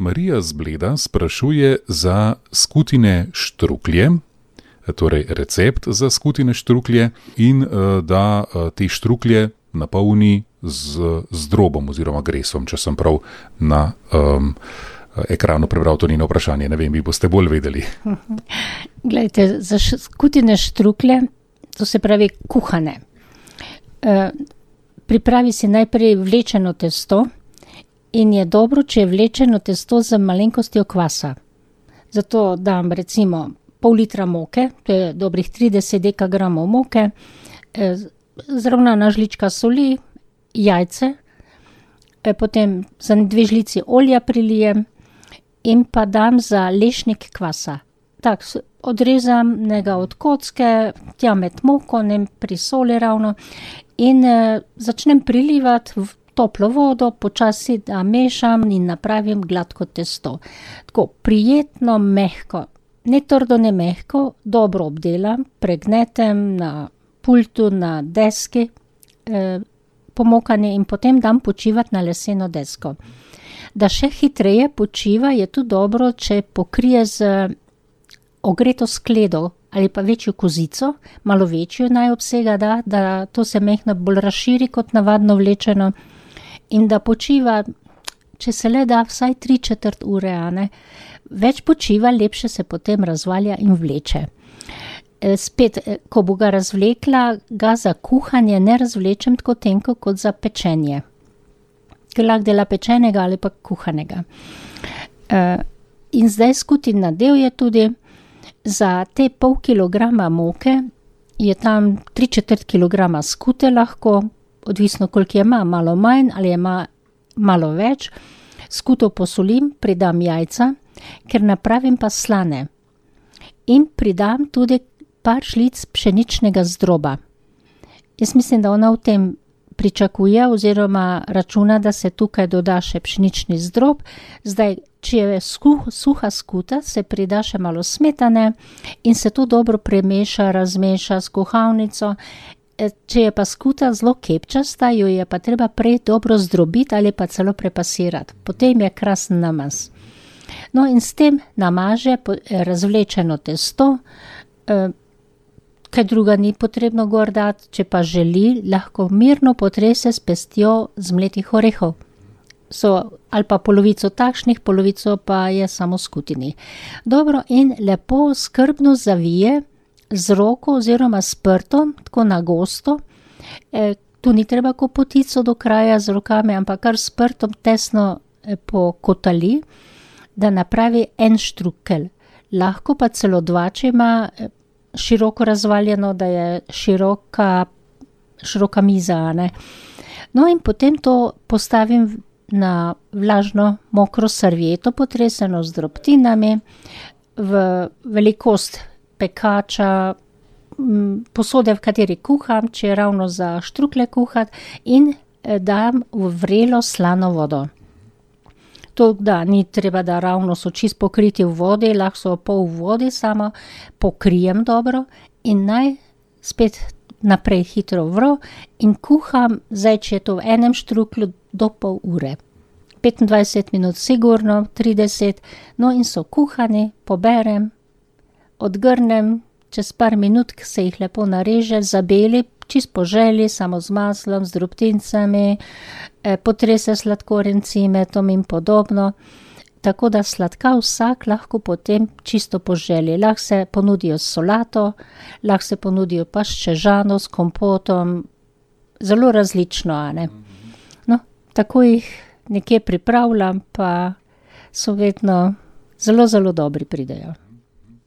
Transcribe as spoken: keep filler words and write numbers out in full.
Marija z Bleda sprašuje za skutine štruklje, torej recept za skutine štruklje in da te štruklje napolni z, z drobom oziroma gresom, če sem prav na um, ekranu prebral to njeno vprašanje. Ne vem, vi boste bolj vedeli. Glejte, za skutine štruklje, to se pravi kuhane. E, pripravi si najprej vlečeno testo in je dobro, če je vlečeno testo z malenkostjo kvasa. Zato dam recimo pol litra moke, to je dobrih trideset dekagramov moke, e, zravnana žlička soli, jajce, e, potem za dve žlici olja prilijem in pa dam za lešnik kvasa. Tak, odrezam njega od kocke, tja med moko, ne pri soli ravno in e, začnem prilivati v toplo vodo, počasi da mešam in napravim gladko testo. Tako prijetno, mehko, ne trdo, ne mehko, dobro obdelam, pregnetem na pultu, na deski, eh, pomokanje in potem dam počivati na leseno desko. Da še hitreje počiva, je tu dobro, če pokrije z ogreto skledo ali pa večjo kozico, malo večjo naj obsega, da, da to se mehno bolj razširi kot navadno vlečeno in da počiva, če se le da, vsaj tri četrt ure, a ne. Več počiva, lepše se potem razvalja in vleče. Spet, ko bo ga razvlekla, ga za kuhanje ne razvlečem tako tenko kot za pečenje. Ker lahko dela pečenega ali pa kuhanega. In zdaj skutin nadev je tudi, za te pol kilograma moke je tam tri četrt kilograma skute lahko, odvisno koliko je ima, malo manj ali je ima malo več. Skuto posolim, pridam jajca, ker napravim pa slane. In pridam tudi par žlic pšeničnega zdroba. Jaz mislim, da ona v tem pričakuje oziroma računa, da se tukaj doda še pšenični zdrob. Zdaj, če je skuh, suha skuta, se prida še malo smetane in se to dobro premeša, razmeša s kuhalnico. Če je pa skuta zelo kepčasta, jo je pa treba prej dobro zdrobiti ali pa celo prepasirati. Potem je krasen namaz. No in s tem namaže razvlečeno testo, kaj druga ni potrebno gor dati, če pa želi, lahko mirno potrese s pestjo zmletih orehov. So ali pa polovico takšnih, polovico pa je samo skutini. Dobro in lepo skrbno zavije z roko oziroma s prtom, tako na gosto. E, tu ni treba kopotico do kraja z rokami, ampak kar s prtom tesno e, pokotali, da napravi en štrukelj. Lahko pa celo dva, če ima e, široko razvaljeno, da je široka, široka miza, ne. No in potem to postavim na vlažno mokro servieto, potreseno z drobtinami, v velikost pekača, posode, v kateri kuham, če je ravno za štrukle kuhati, in dam v vrelo slano vodo. To, da ni treba, da ravno so čist pokriti v vodi, lahko so pol v vodi, samo pokrijem dobro in naj spet naprej hitro vro in kuham, zdaj, če je to v enem štruklju, do pol ure. petindvajset minut sigurno, trideset, no in so kuhani, poberem, odgrnem, čez par minut se jih lepo nareže, zabeli, čist po želji, samo z maslom, z drobtincami, eh, potrese sladkorjem, cimetom in podobno. Tako da sladka vsak lahko potem čisto po želji. Lahko se ponudijo s solato, lahko se ponudijo pa s čežano, s kompotom, zelo različno, a ne. No, tako jih nekje pripravljam, pa so vedno zelo, zelo dobri pridejo.